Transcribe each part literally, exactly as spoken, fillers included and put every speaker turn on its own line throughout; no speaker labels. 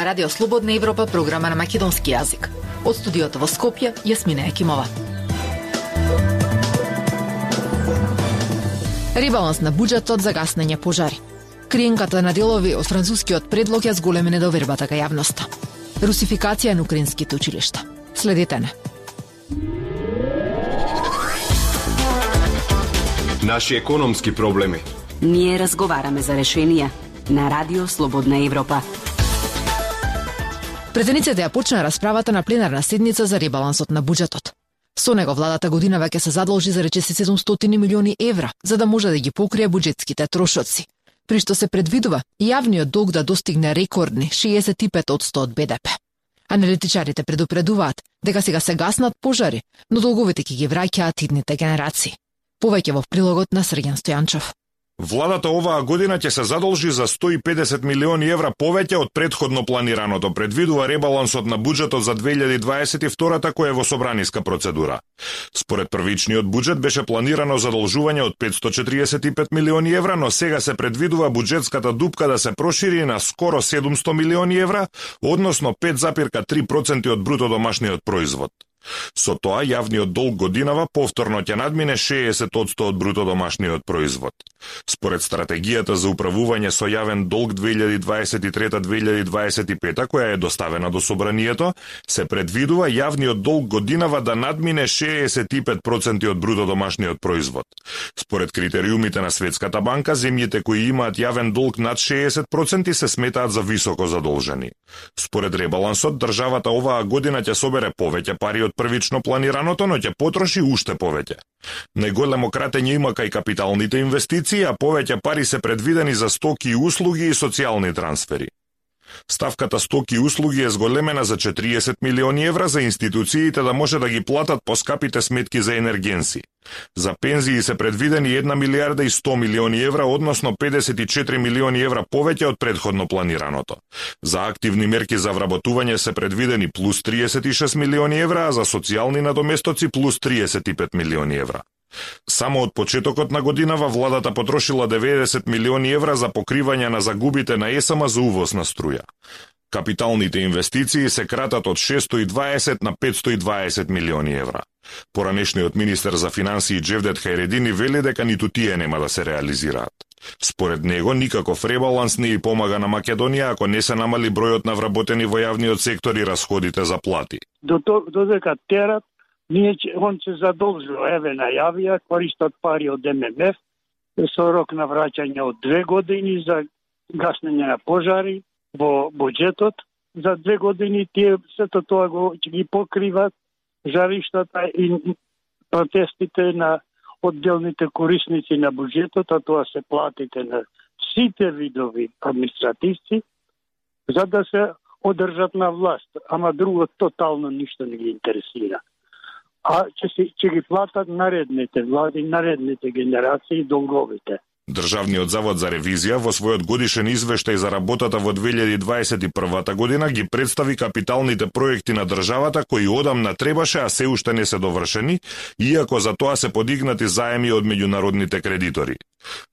на Радио Слободна Европа, програма на македонски јазик. Од студиото во Скопје, Јасмина Екимова. Ребаланс на буџетот за гаснење пожари. Криенката на делови од францускиот предлог ја зголеми недовербата кај јавноста. Русификација на украинските училишта. Следете не.
Наши економски проблеми.
Ние разговараме за решенија на Радио Слободна Европа.
Претениците ја почна расправата на пленарна седница за ребалансот на буџетот. Со него владата годинава ќе се задолжи за речиси седумстотини милиони евра, за да може да ги покрие буџетските трошоци, при што се предвидува јавниот долг да достигне рекордни шеесет и пет одсто од Б Д П. Аналитичарите предупредуваат дека сега се гаснат пожари, но долговите ќе ги враќаат идните генерации. Повеќе во прилогот на Срѓан Стојанчов.
Владата оваа година ќе се задолжи за сто и педесет милиони евра повеќе од претходно планираното, предвидува ребалансот на буџетот за две илјади дваесет и втора кој е во собраниска процедура. Според првичниот буџет беше планирано задолжување од петсто четириесет и пет милиони евра, но сега се предвидува буџетската дупка да се прошири на скоро седумсто милиони евра, односно пет зарез три проценти од бруто домашниот производ. Со тоа, јавниот долг годинава повторно ќе надмине шеесет одсто од бруто домашниот производ. Според стратегијата за управување со јавен долг две илјади дваесет и трета до две илјади дваесет и пета, која е доставена до собранието, се предвидува јавниот долг годинава да надмине шеесет и пет проценти од бруто домашниот производ. Според критериумите на Светската банка, земјите кои имаат јавен долг над шеесет проценти се сметаат за високо задолжени. Според ребалансот, државата оваа година ќе собере повеќе пари од првично планираното, но ќе потроши уште повеќе. Најголемо кратење има кај капиталните инвестиции, а повеќе пари се предвидени за стоки и услуги и социјални трансфери. Ставката стоки и услуги е зголемена за четириесет милиони евра за институциите да може да ги платат поскапите сметки за енергенси. За пензии се предвидени една милијарда и сто милиони евра, односно педесет и четири милиони евра повеќе од претходно планираното. За активни мерки за вработување се предвидени плюс триесет и шест милиони евра, а за социјални надоместоци плюс триесет и пет милиони евра. Само од почетокот на годинава владата потрошила деветдесет милиони евра за покривање на загубите на Е С М за увоз на струја. Капиталните инвестиции се кратат од шестоста и дваесет на петсто и дваесет милиони евра. Поранешниот министер за финансии Джевдет Хајредини вели дека ниту тие нема да се реализираат. Според него, никаков ребаланс не и помага на Македонија ако не се намали бројот на вработени во јавниот сектор и расходите за плати.
Додека терат, ние он се задолжува, еве најавија, користат пари од М М Ф со рок на враќање од две години за гаснење на пожари во буџетот. За две години тие сето тоа го ќе ги покриват жариштата и протестите на одделните корисници на буџетот, а тоа се платите на сите видови административци, за да се одржат на власт, ама друго тотално ништо не ги интересира. А ќе, си, ќе ги платат наредните влади, наредните генерации долговите.
Државниот завод за ревизија во својот годишен извештај за работата во две илјади дваесет и прва година ги представи капиталните проекти на државата кои одамна требаше, а се уште не се довршени, иако за тоа се подигнати заеми од меѓународните кредитори.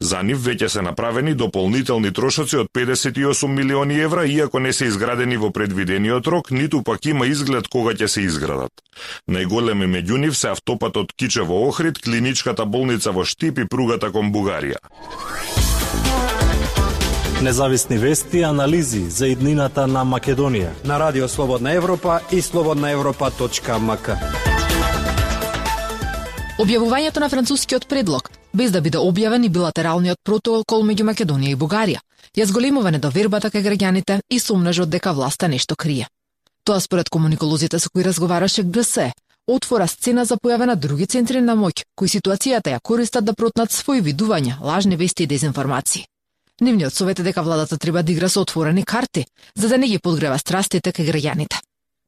За нив веќе се направени дополнителни трошоци од педесет и осум милиони евра, иако не се изградени во предвидениот рок, ниту пак има изглед кога ќе се изградат. Најголеми меѓу нив се автопатот Кичево-Охрид, клиничката болница во Штип и пругата кон Бугарија.
Независни вести и анализи за иднината на Македонија
на Радио Слободна Европа и слободна европа точка м к.
Објавувањето на францускиот предлог, без да биде објавен и билатералниот протокол меѓу Македонија и Бугарија, ја зголемува недовербата кај граѓаните и сомнежот дека власта нешто крие. Тоа според комуниколозите со кои разговараше Г С, отвора сцена за појава на други центри на моќ, кои ситуацијата ја користат да протнат свој видувања, лажни вести и дезинформации. Нивниот совет е дека владата треба да игра со отворени карти, за да не ги подгрева страстите кај граѓаните.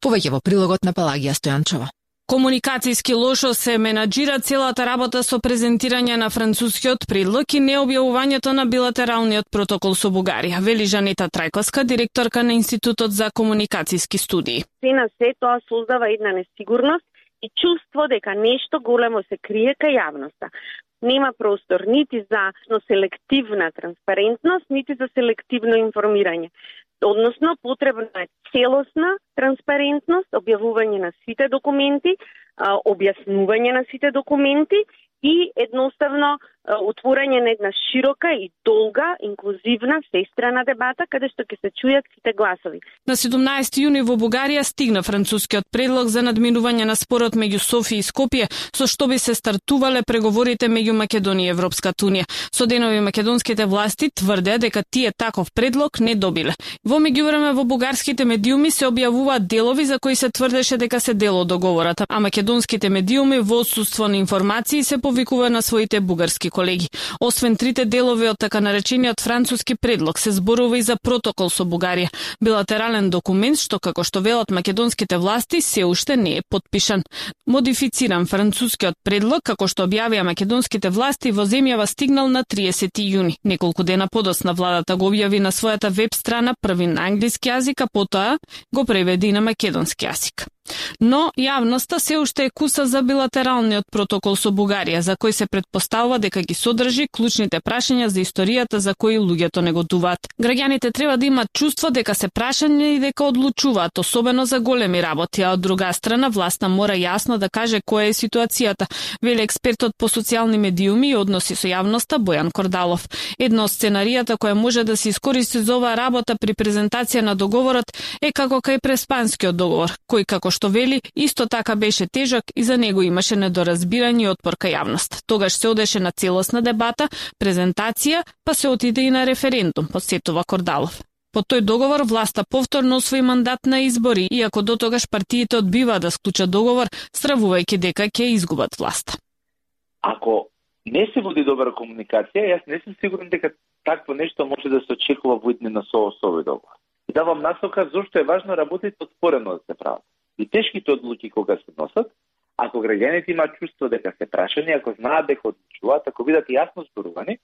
Повеќе во прилогот на Пелагија Стојанчова.
Комуникацијски лошо се менаџира целата работа со презентирање на францускиот предлог и необјавувањето на билатералниот протокол со Бугарија, вели Жанета Трајковска, директорка на Институтот за комуникацијски студии.
Се на се тоа создава една несигурност и чувство дека нешто големо се крие кај јавноста. Нема простор нити за селективна транспарентност, нити за селективно информирање. Односно, потребна е целосна транспарентност, објавување на сите документи, објаснување на сите документи и едноставно отворање на една широка и долга, инклузивна, всестрана дебата, каде што ќе се чујат сите гласови.
На седумнаесети јуни во Бугарија стигна францускиот предлог за надминување на спорот меѓу Софија и Скопје, со што би се стартувале преговорите меѓу Македонија и Европската унија. Со денови македонските власти тврдеа дека тие таков предлог не добиле. Во меѓувреме во бугарските медиуми се објавуваат делови за кои се тврдеше дека се дел од договорот, а македонските медиуми во отсуство на информации се повикува на своите бугарски колеги. Освен трите делови од така наречениот француски предлог, се зборува и за протокол со Бугарија, билатерален документ што, како што велат македонските власти, се уште не е подпишан. Модифициран францускиот предлог, како што објавија македонските власти, во земјава стигнал на триесети јуни. Неколку дена подоцна владата го објави на својата веб страна први на англиски јазик, а потоа го преведи на македонски јазик. Но јавноста се уште е куса за билатералниот протокол со Бугарија, за кој се претпоставува дека ги содржи клучните прашања за историјата за кои луѓето не готуваат. Граѓаните треба да имаат чувство дека се прашања и дека одлучуваат, особено за големи работи, а од друга страна власта мора јасно да каже која е ситуацијата, вели експертот по социјални медиуми и односи со јавноста Бојан Кордалов. Едно од сценаријата која може да се искористи за оваа работа при презентација на договорот е како кај Преспанскиот договор, кој како што вели, исто така беше тежок и за него имаше недоразбирање и отпор кај јавност. Тогаш се одеше на целосна дебата, презентација, па се отиде и на референдум, подсетува Кордалов. По тој договор власта повторно освои мандат на избори, иако до тогаш партиите одбиваа да склучат договор, стравувајќи дека ќе изгубат власта.
Ако не се води добра комуникација, јас не сум сигурен дека такво нешто може да се очекува во иднина со овој договор. И давам насока зошто е важно работите отворено да се прават. И тешките одлуки кога се носат, ако граѓаните имаат чувство дека се прашани, ако знаат дека одлучуваат, ако бидат јасно зборувани,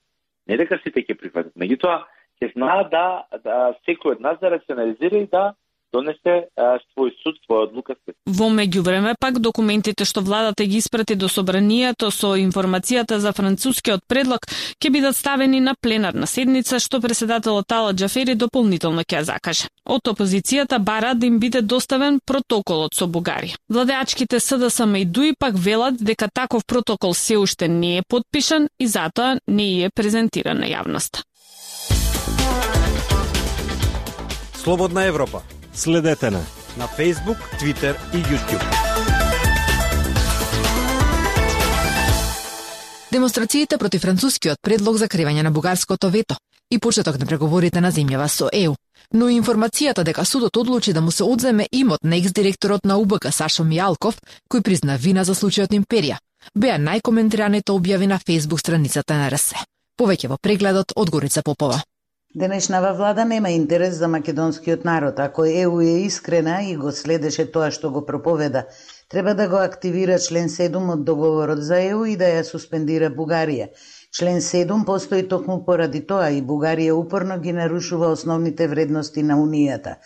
не дека сите ќе прифатат. Меѓутоа, ќе знаат да, да секој од нас да рационализира и да донесе а, свој суд, своја одлука.
Во меѓувреме пак документите што владата ги испрати до собранието со информацијата за францускиот предлог ќе бидат ставени на пленарна седница, што преседателот Тала Џафери дополнително ќе ја закаже. Од опозицијата бараат да им биде доставен протоколот со Бугарија. Владеачките СДСМ и ДУИ пак велат дека таков протокол се уште не е подпишан и затоа не е презентиран на јавноста.
Слободна Европа.
Следете на
на Facebook, Twitter и YouTube.
Демонстрациите против францускиот предлог за кривање на бугарското вето и почеток на преговорите на земјава со Е У. Но и информацијата дека судот одлучи да му се одземе имот на екс-директорот на У Б К Сашо Мијалков, кој призна вина за случајот Империја, беа најкоментираните објави на Facebook страницата на Р С. Повеќе во прегледот од Горица Попова.
Денешнава влада нема интерес за македонскиот народ. Ако Е У е искрена и го следеше тоа што го проповеда, треба да го активира член седум од договорот за Е У и да ја суспендира Бугарија. Член седум постои токму поради тоа и Бугарија упорно ги нарушува основните вредности на Унијата.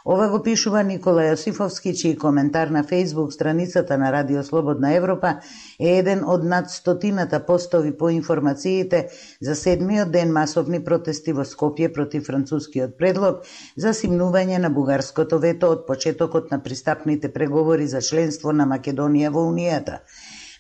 Ова го пишува Никола Јосифовски, чиј коментар на Facebook страницата на Радио Слободна Европа е еден од над стотината постови по информациите за седмиот ден масовни протести во Скопје против францускиот предлог за симнување на бугарското вето од почетокот на пристапните преговори за членство на Македонија во Унијата.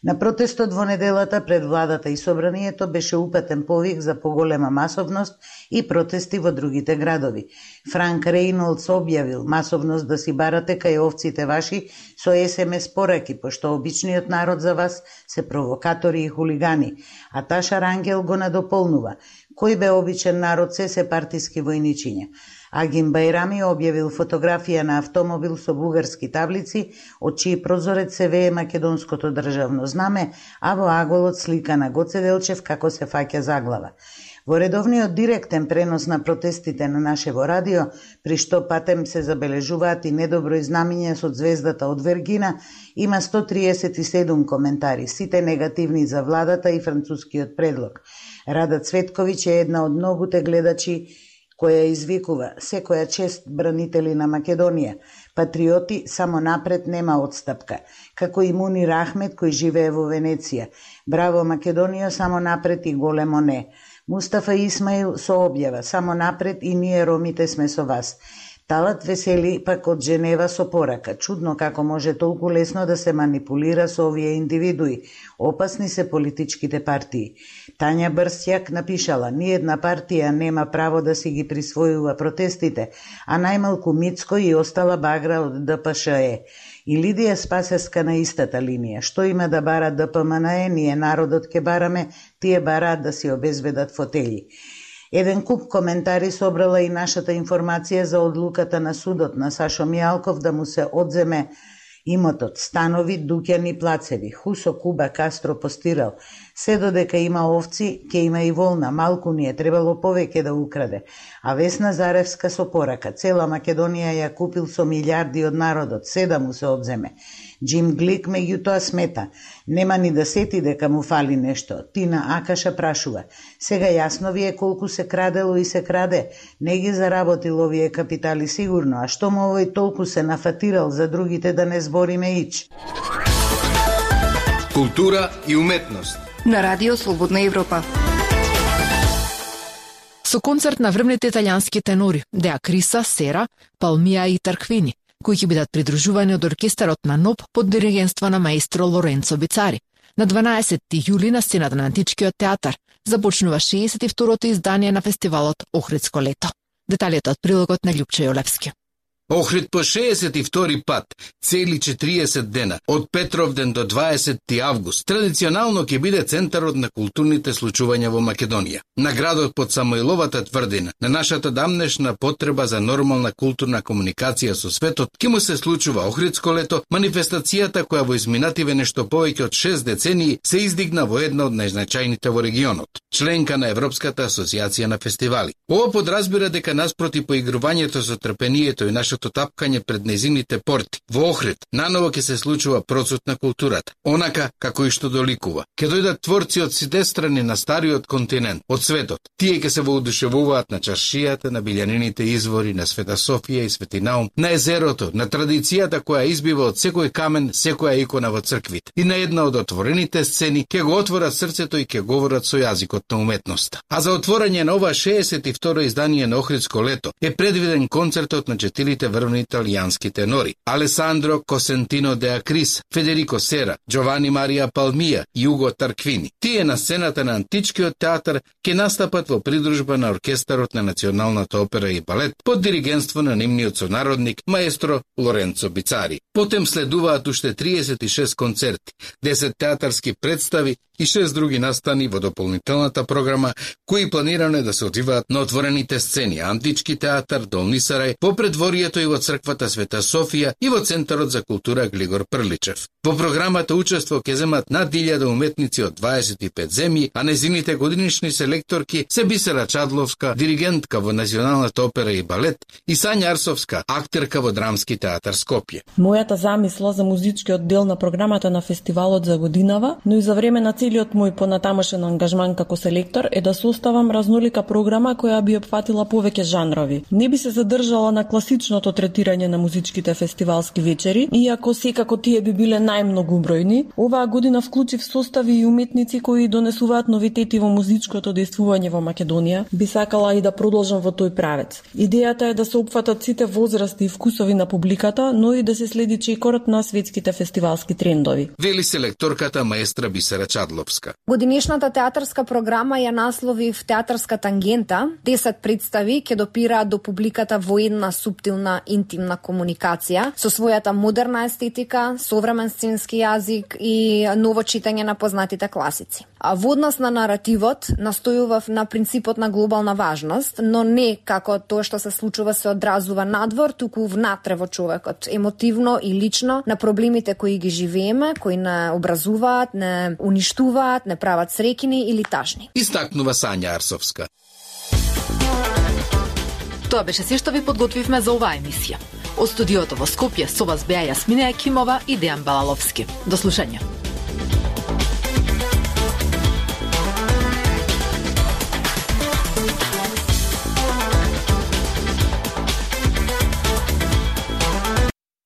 На протестот во неделата пред владата и собранието беше упатен повик за поголема масовност и протести во другите градови. Франк Рейнолдс објавил масовност да си барате кај овците ваши со Ес Ем Ес пораки, пошто обичниот народ за вас се провокатори и хулигани, а Таша Рангел го надополнува. Кој бе обичен народ се се партиски војничиња. Агим Бајрами објавил фотографија на автомобил со бугарски таблици, од чиј прозорец се вее македонското државно знаме, а во аголот слика на Гоце Делчев како се фаќа заглава. Во редовниот директен пренос на протестите на нашево радио, при што патем се забележуваат и недоброј знамиња со звездата од Вергина, има сто триесет и седум коментари, сите негативни за владата и францускиот предлог. Рада Цветковиќ е една од многуте гледачи која извикува секоја чест бранители на Македонија. Патриоти, само напред, нема отстапка. Како и Мунир Ахмед кој живее во Венеција. Браво Македонија, само напред и големо не. Мустафа Исмаил со објава: само напред и ние ромите сме со вас. Талат Весели пак од Женева со порака: чудно како може толку лесно да се манипулира со овие индивидуи. Опасни се политичките партии. Тања Брстјак напишала: ниедна партија нема право да си ги присвојува протестите, а најмалку Мицко и остала багра од Д П Ш Е. И Лидија Спасеска на истата линија: што има да бара Д П М Н Е, ние народот ке бараме, тие бараат да си обезбедат фотели. Еден куп коментари собрала и нашата информација за одлуката на судот на Сашо Мијалков да му се одземе имотот, станови, дуќани, плацеви. Хусо Куба Кастро постирал: се додека има овци, ке има и волна, малку ни е требало повеќе да украде. А Весна Заревска со порака: цела Македонија ја купил со милиарди од народот, се да му се одземе. Джим Глик меѓутоа смета: нема ни да сети дека му фали нешто. Тина Акаша прашува: сега јасно ви е колку се крадело и се краде, не ги заработил овие капитали сигурно, а што му овој толку се нафатирал за другите да не збориме ич.
Култура и уметност
на Радио Слободна Европа.
Со концерт на врвните италијански тенори Де Акриса, Сера, Палмија и Тарквини, кои ќе бидат придружувани од оркестарот на НОП под диригентство на маестро Лоренцо Бицари. На дванаесетти јули на сцената на Античкиот театар започнува шеесет и второто издание на фестивалот Охридско лето. Деталите од прилогот на Љупче Јолевски.
Охрид по шеесет и втори пат, цели четириесет дена, од Петровден до дваесетти август, традиционално ќе биде центарот на културните случувања во Македонија. На градот под Самоиловата тврдина, на нашата дамнешна потреба за нормална културна комуникација со светот, ќе му се случува Охридско лето, манифестацијата која во изминативе нешто повеќе од шест децении се издигна во една од најзначајните во регионот, членка на Европската асоциација на фестивали. Ова подразбира дека наспроти поигрувањето со трпението и нашето тапкање пред незините порти, во Охрид наново ќе се случува процут на културата, онака како и што доликува. Ќе дојдат творци од сите страни на стариот континент, од светот. Тие ќе се воодушевуваат на чаршијата, на билјанините извори, на Света Софија и Свети Наум, на езерото, на традицијата која избива од секој камен, секоја икона во црквите. И на една од отворените сцени ќе го отворат срцето и ќе говорат со јазикот на уметноста. А за отворање на ова шеесет и второ издание на Охридско лето е предвиден концертот на четирите врвни италијански тенори: Алесандро Косентино де Акрис, Федерико Сера, Джовани Марија Палмија и Уго Тарквини. Тие на сцената на Античкиот театар ќе настапат во придружба на оркестарот на Националната опера и балет под диригентство на нивниот сонародник маестро Лоренцо Бицари. Потем следуваат уште триесет и шест концерти, десет театарски представи и шест други настани во дополнителната програма, кои планирано да се одвиваат на отворените сцени Антички театар, Долни Сарај, во предворието и во црквата Света Софија и во Центарот за култура Глигор Прличев. Во програмата учество ќе земат над илјада уметници од дваесет и пет земји, а незините годинишни селекторки се Бисера Чадловска, диригентка во Националната опера и балет, и Сања Арсовска, актерка во Драмски театар Скопје.
Мојата замисла за музичкиот дел на програмата на фестивалот за годинава, но и за време на целиот мој понатамошен ангажман како селектор е да составам разнолика програма која би опфатила повеќе жанрови. Не би се задржала на класичното третирање на музичките фестивалски вечери, иако секако тие би биле најмногу бројни, оваа година вклучив состави и уметници кои донесуваат новитети во музичкото дејствување во Македонија. Би сакала и да продолжам во тој правец. Идејата е да се опфатат сите возрасти и вкусови на публиката, но и да се следи чекорот на светските фестивалски трендови.
Вели селекторката маестра Бисера Чадловска.
Годинешната театарска програма ја насловив Театарска тангента. десет представи ќе допираат до публиката во една суптилна интимна комуникација со својата модерна естетика, современ сценски јазик и ново читање на познатите класици. А во однос на наративот настојував на принципот на глобална важност, но не како тоа што се случува се одразува надвор, туку внатре во човекот, емотивно и лично на проблемите кои ги живееме, кои не образуваат, не уништуваат, не прават среќни или тажни.
Истакнува Сања Арсовска.
Тоа беше се што ви подготвивме за оваа емисија. Од студиото во Скопје со вас беа Јасмина Екимова и Дејан Балаловски. До слушање.